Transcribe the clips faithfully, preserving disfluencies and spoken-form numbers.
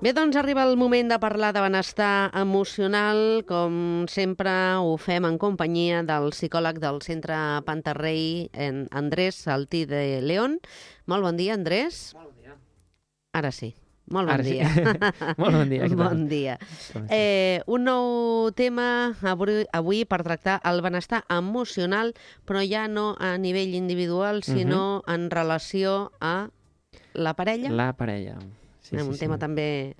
Bé, doncs arriba el moment de parlar de benestar emocional. Com sempre ho fem en companyia del psicòleg del Centre Pantarrey, en Andrés Saltí de León. Molt bon dia, Andrés. Molt bon dia. Ara sí. Molt bon Ara dia. Sí. Molt bon dia. Bon dia. Eh, un nou tema avui, avui per tractar el benestar emocional, però ja no a nivell individual, sinó uh-huh. en relació a la parella. La parella. Sí, un sí, tema sí. també...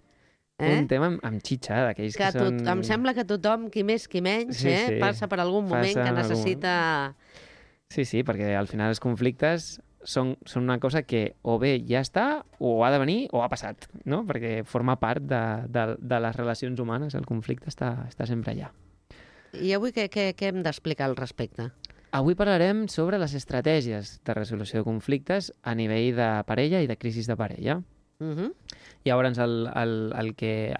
Eh? Un tema amb, amb xitxa, d'aquells que, que tot, són... Em sembla que tothom, qui més, qui menys, sí, eh, sí. passa per algun moment passa que necessita... Algun... Sí, sí, perquè al final els conflictes són, són una cosa que o bé ja està, o ha de venir, o ha passat, no? Perquè forma part de, de, de les relacions humanes, el conflicte està, està sempre allà. I avui què, què, què hem d'explicar al respecte? Avui parlarem sobre les estratègies de resolució de conflictes a nivell de parella i de crisis de parella. Uh-huh. Llavors, el, el, el, que,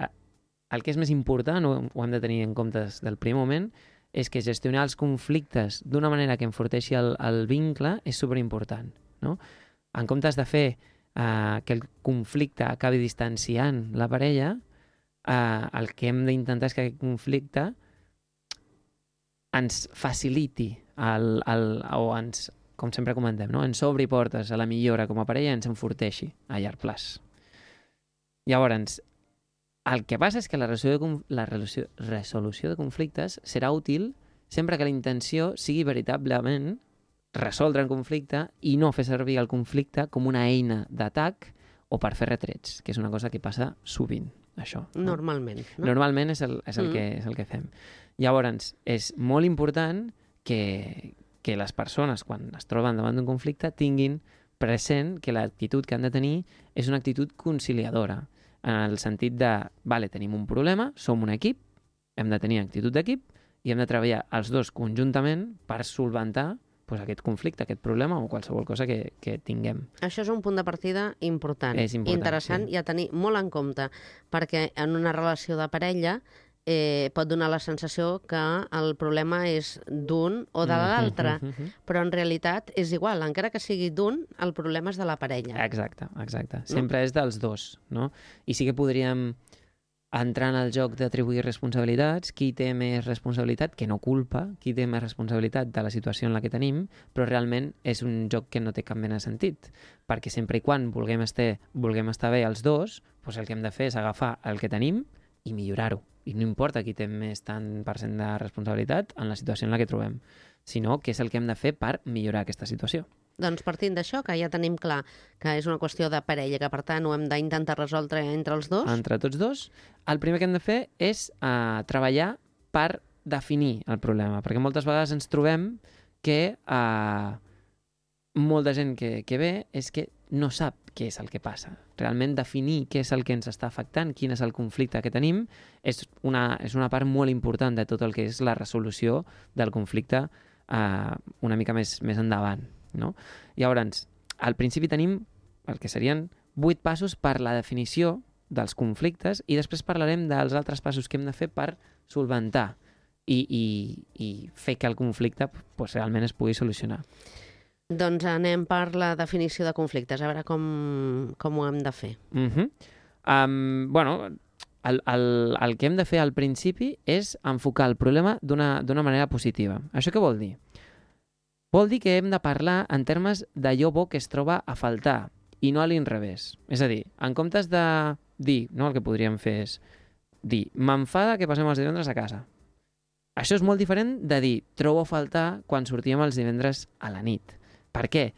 el que és més important, ho, ho hem de tenir en compte des del primer moment, és que gestionar els conflictes d'una manera que enforteixi el, el vincle és superimportant, no? En comptes de fer eh, que el conflicte acabi distanciant la parella, eh, el que hem d'intentar és que aquest conflicte ens faciliti el, el, o ens, com sempre comentem, no? ens obri portes a la millora com a parella i ens enforteixi a llarg plaç. Llavors, el que passa és que la resolució, de, la resolució, resolució de conflictes serà útil sempre que la intenció sigui veritablement resoldre el conflicte i no fer servir el conflicte com una eina d'atac o per fer retrets, que és una cosa que passa sovint, això. No? Normalment. No? Normalment és el, és, el mm. que, és el que fem. Llavors, és molt important que, que les persones, quan es troben davant d'un conflicte, tinguin present que l'actitud que han de tenir és una actitud conciliadora, en el sentit de, vale, tenim un problema, som un equip, hem de tenir actitud d'equip i hem de treballar els dos conjuntament per solventar pues, aquest conflicte, aquest problema o qualsevol cosa que, que tinguem. Això és un punt de partida important, és important interessant sí. i a tenir molt en compte, perquè en una relació de parella eh, pot donar la sensació que el problema és d'un o de l'altre, mm -hmm. però en realitat és igual, encara que sigui d'un, el problema és de la parella. Exacte, exacte. Sempre no? és dels dos, no? I sí que podríem entrar en el joc d'atribuir responsabilitats, qui té més responsabilitat, que no culpa, qui té més responsabilitat de la situació en la que tenim, però realment és un joc que no té cap mena de sentit, perquè sempre i quan vulguem estar, vulguem estar bé els dos, doncs el que hem de fer és agafar el que tenim i millorar-ho. I no importa qui té més tant per cent de responsabilitat en la situació en la que trobem, sinó que és el que hem de fer per millorar aquesta situació. Doncs partint d'això, que ja tenim clar que és una qüestió de parella, que per tant ho hem d'intentar resoldre entre els dos. Entre tots dos, el primer que hem de fer és uh, treballar per definir el problema, perquè moltes vegades ens trobem que uh, molta gent que, que ve és que no sap què és el que passa. Realment definir què és el que ens està afectant, quin és el conflicte que tenim, és una, és una part molt important de tot el que és la resolució del conflicte uh, una mica més, més endavant. No? Llavors, al principi tenim el que serien vuit passos per la definició dels conflictes i després parlarem dels altres passos que hem de fer per solventar i, i, i fer que el conflicte pues, realment es pugui solucionar. Doncs anem per la definició de conflictes, a veure com, com ho hem de fer. Uh-huh. um, bueno, el, el, el que hem de fer al principi és enfocar el problema d'una d'una manera positiva. Això què vol dir? Vol dir que hem de parlar en termes d'allò bo que es troba a faltar i no a l'inrevés. És a dir, en comptes de dir, no, el que podríem fer és dir, m'enfada que passem els divendres a casa. Això és molt diferent de dir, trobo a faltar quan sortíem els divendres a la nit. Per què?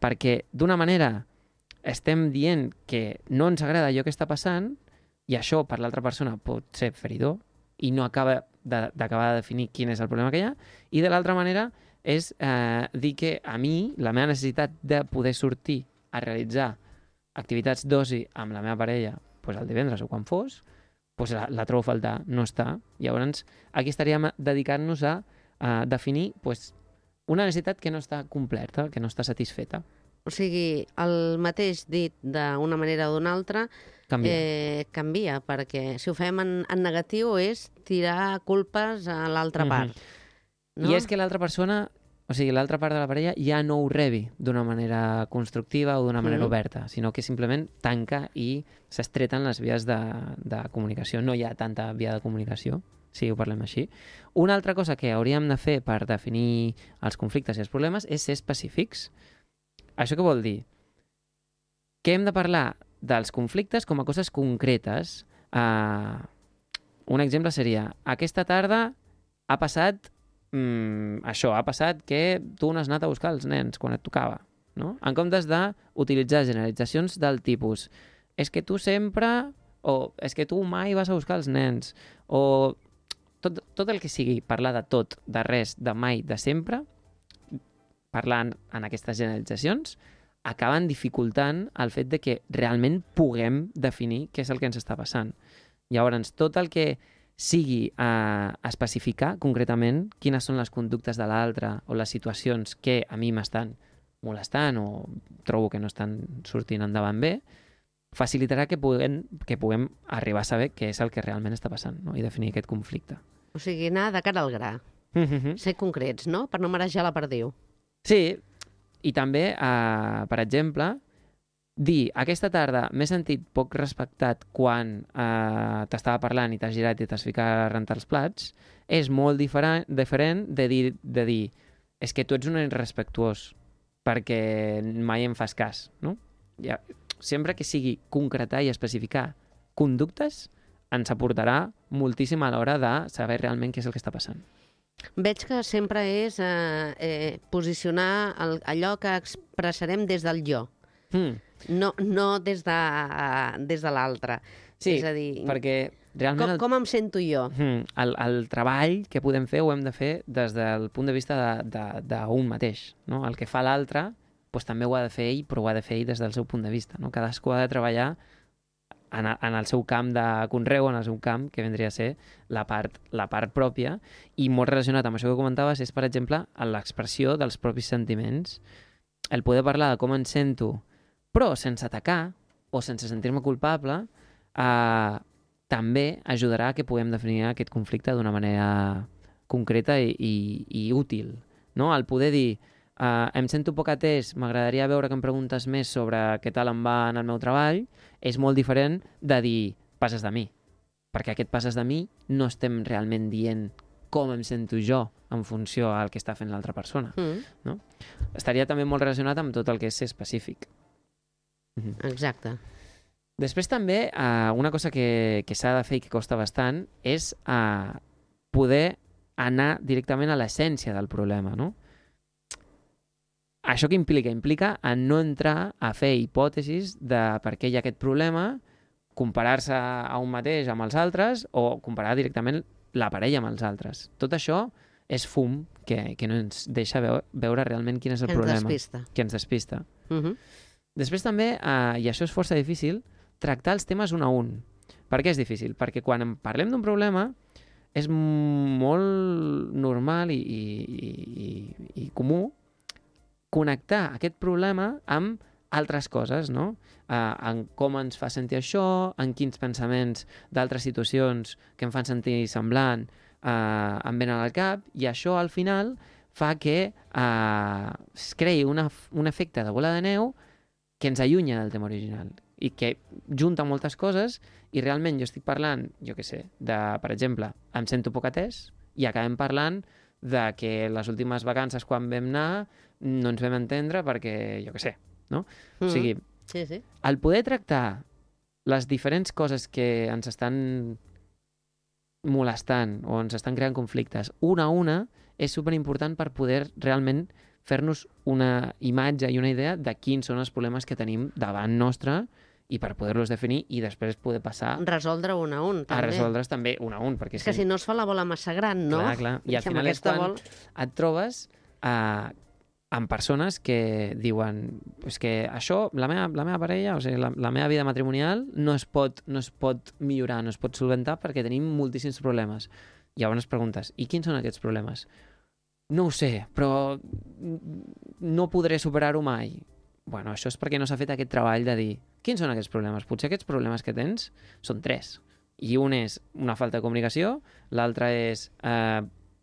Perquè d'una manera estem dient que no ens agrada allò que està passant i això per l'altra persona pot ser feridor i no acaba d'acabar de, de definir quin és el problema que hi ha, i de l'altra manera és eh, dir que a mi la meva necessitat de poder sortir a realitzar activitats d'oci amb la meva parella pues, el divendres o quan fos, pues, la, la trobo a faltar, no està. Llavors, aquí estaríem dedicant-nos a, a definir pues, una necessitat que no està completa, que no està satisfeta. O sigui, el mateix dit d'una manera o d'una altra canvia. Eh, canvia, perquè si ho fem en, en negatiu és tirar culpes a l'altra part. Mm-hmm. No? I és que l'altra persona, o sigui, l'altra part de la parella ja no ho rebi d'una manera constructiva o d'una manera Mhm. oberta, sinó que simplement tanca i s'estreten les vies de, de comunicació. No hi ha tanta via de comunicació, si ho parlem així. Una altra cosa que hauríem de fer per definir els conflictes i els problemes és ser específics. Això què vol dir? Que hem de parlar dels conflictes com a coses concretes. Uh, un exemple seria, aquesta tarda ha passat mm, això, ha passat que tu no has anat a buscar els nens quan et tocava, no? En comptes d'utilitzar generalitzacions del tipus és que tu sempre, o és que tu mai vas a buscar els nens, o tot, tot el que sigui parlar de tot, de res, de mai, de sempre, parlant en aquestes generalitzacions, acaben dificultant el fet de que realment puguem definir què és el que ens està passant. Llavors, tot el que sigui a especificar concretament quines són les conductes de l'altre o les situacions que a mi m'estan molestant o trobo que no estan sortint endavant bé, facilitarà que puguem, que puguem arribar a saber què és el que realment està passant, no? I definir aquest conflicte. O sigui, anar de cara al gra. Mm-hmm. Ser concrets, no? Per no marejar la perdiu. Sí, i també, eh, per exemple, dir, aquesta tarda m'he sentit poc respectat quan eh, t'estava parlant i t'has girat i t'has ficat a rentar els plats, és molt diferent, diferent de, dir, de dir és que tu ets un irrespectuós perquè mai em fas cas, no? Ja, sempre que sigui concretar i especificar conductes ens aportarà moltíssim a l'hora de saber realment què és el que està passant. Veig que sempre és eh, eh, posicionar el, allò que expressarem des del jo, Mm. no, no des de, uh, des de l'altre. Sí, és a dir, perquè realment... com, com em sento jo? El, el, el treball que podem fer ho hem de fer des del punt de vista d'un mateix. No? El que fa l'altre doncs, també ho ha de fer ell, però ho ha de fer ell des del seu punt de vista. No? Cadascú ha de treballar en, en el seu camp de conreu, en el seu camp, que vendria a ser la part, la part pròpia, i molt relacionat amb això que comentaves és, per exemple, l'expressió dels propis sentiments, el poder parlar de com em sento, però sense atacar o sense sentir-me culpable, eh, també ajudarà a que puguem definir aquest conflicte d'una manera concreta i, i, i útil. No? El poder dir, eh, em sento poc atès, m'agradaria veure que em preguntes més sobre què tal em va en el meu treball, és molt diferent de dir, passes de mi. Perquè aquest passes de mi no estem realment dient com em sento jo en funció al que està fent l'altra persona. Mm. No? Estaria també molt relacionat amb tot el que és ser específic. Exacte. Després també, eh, una cosa que, que s'ha de fer i que costa bastant és eh, poder anar directament a l'essència del problema, no? Això què implica? Implica a no entrar a fer hipòtesis de per què hi ha aquest problema, comparar-se a un mateix amb els altres o comparar directament la parella amb els altres. Tot això és fum que, que no ens deixa veure, veure realment quin és el Que ens problema. despista. Que ens despista. Uh-huh. Després també, eh, i això és força difícil, tractar els temes un a un. Per què és difícil? Perquè quan en parlem d'un problema és molt normal i, i, i, i comú connectar aquest problema amb altres coses, no? Uh, en com ens fa sentir això, en quins pensaments d'altres situacions que em fan sentir semblant uh, em venen al cap, i això al final fa que uh, es creï una, un efecte de bola de neu que ens allunya del tema original i que junta moltes coses i realment jo estic parlant, jo què sé, de, per exemple, em sento poc atès i acabem parlant de que les últimes vacances quan vam anar no ens vam entendre perquè, jo què sé, no? Mm. O sigui, Sí, sí. el poder tractar les diferents coses que ens estan molestant o ens estan creant conflictes una a una és superimportant per poder realment fer-nos una imatge i una idea de quins són els problemes que tenim davant nostre i per poder-los definir i després poder passar Resoldre un a un, també. a resoldre's també un a un. Perquè És que si no es fa la bola massa gran, no? Clar, clar. I al Amb final és aquesta quan bol- et trobes eh, amb persones que diuen és que això, la meva, la meva parella, o sigui, la, la meva vida matrimonial no es, pot, no es pot millorar, no es pot solventar perquè tenim moltíssims problemes. Llavors preguntes, i quins són aquests problemes? No ho sé, però no podré superar-ho mai. Bueno, això és perquè no s'ha fet aquest treball de dir quins són aquests problemes? Potser aquests problemes que tens són tres. I un és una falta de comunicació, l'altre és eh,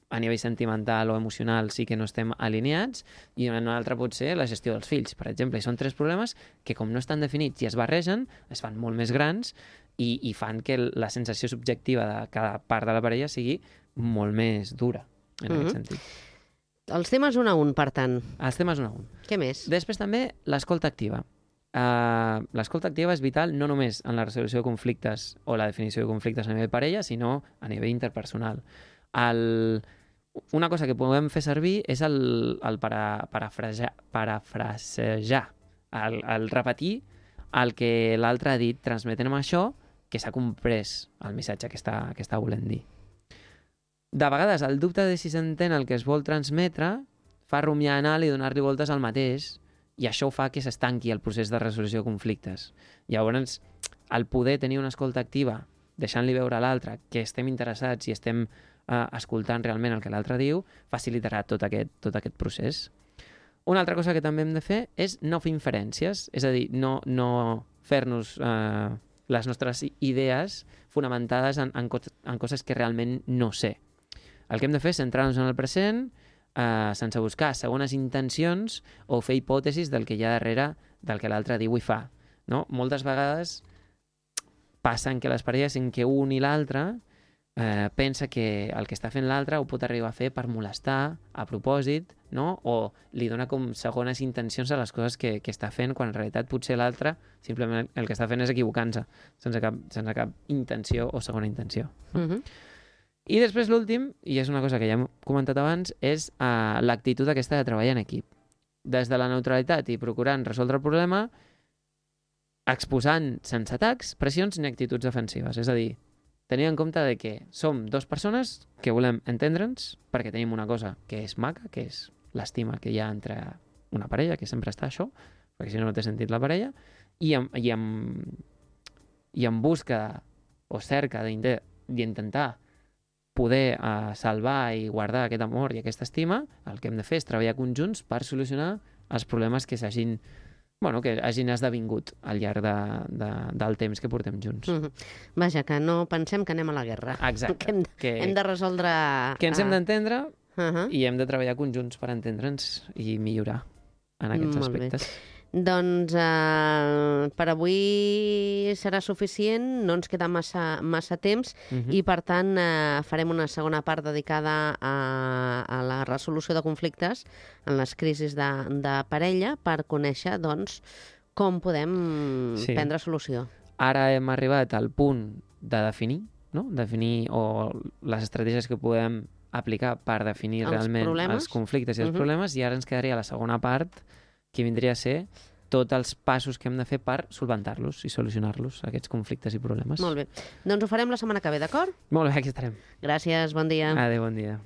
a nivell sentimental o emocional sí que no estem alineats, i un altre pot ser la gestió dels fills, per exemple. I són tres problemes que, com no estan definits i es barregen, es fan molt més grans i, i fan que la sensació subjectiva de cada part de la parella sigui molt més dura, en mm-hmm. aquest sentit. Els temes un a un, per tant. Els temes un a un. Què més? Després també l'escolta activa. Uh, l'escolta activa és vital no només en la resolució de conflictes o la definició de conflictes a nivell parella, sinó a nivell interpersonal. El... Una cosa que podem fer servir és el, el para, parafrasejar, parafrasejar el, el repetir el que l'altre ha dit, transmetent amb això que s'ha comprès el missatge que està, que està volent dir. De vegades, el dubte de si s'entén el que es vol transmetre fa rumiar anal i donar-li voltes al mateix, i això fa que s'estanqui el procés de resolució de conflictes. Llavors, el poder tenir una escolta activa, deixant-li veure a l'altre que estem interessats i estem eh, escoltant realment el que l'altre diu, facilitarà tot aquest, tot aquest procés. Una altra cosa que també hem de fer és no fer inferències, és a dir, no, no fer-nos eh, les nostres idees fonamentades en, en, co en coses que realment no sé. El que hem de fer és centrar-nos en el present, eh, sense buscar segones intencions o fer hipòtesis del que hi ha darrere del que l'altre diu i fa. No? Moltes vegades passen que les parelles en què un i l'altre eh, pensa que el que està fent l'altre ho pot arribar a fer per molestar, a propòsit, no? O li dona com segones intencions a les coses que, que està fent, quan en realitat potser l'altre simplement el que està fent és equivocant-se, sense cap, sense cap intenció o segona intenció. No? Mm-hmm. I després l'últim, i és una cosa que ja hem comentat abans, és uh, l'actitud aquesta de treballar en equip. Des de la neutralitat i procurant resoldre el problema, exposant sense atacs, pressions ni actituds defensives. És a dir, tenint en compte de que som dues persones que volem entendre'ns perquè tenim una cosa que és maca, que és l'estima que hi ha entre una parella, que sempre està això, perquè si no no té sentit la parella, i en, i en, i en busca o cerca d'intentar poder uh, salvar i guardar aquest amor i aquesta estima, el que hem de fer és treballar conjunts per solucionar els problemes que s'hagin bueno, que hagin esdevingut al llarg de, de, del temps que portem junts. Mm-hmm. Vaja, que no pensem que anem a la guerra. Exacte. Que hem, de, que, hem de resoldre... Que ens hem d'entendre uh-huh. i hem de treballar conjunts per entendre'ns i millorar en aquests Molt aspectes. Bé. Doncs eh, per avui serà suficient, no ens queda massa, massa temps uh-huh. i per tant eh, farem una segona part dedicada a, a la resolució de conflictes en les crisis de, de parella per conèixer doncs, com podem sí. prendre solució. Ara hem arribat al punt de definir, no? definir o les estratègies que podem aplicar per definir els realment problemes. els conflictes i els uh-huh. problemes, i ara ens quedaria la segona part, que vindria a ser tots els passos que hem de fer per solventar-los i solucionar-los, aquests conflictes i problemes. Molt bé. Doncs ho farem la setmana que ve, d'acord? Molt bé, aquí estarem. Gràcies, bon dia. Adéu, bon dia.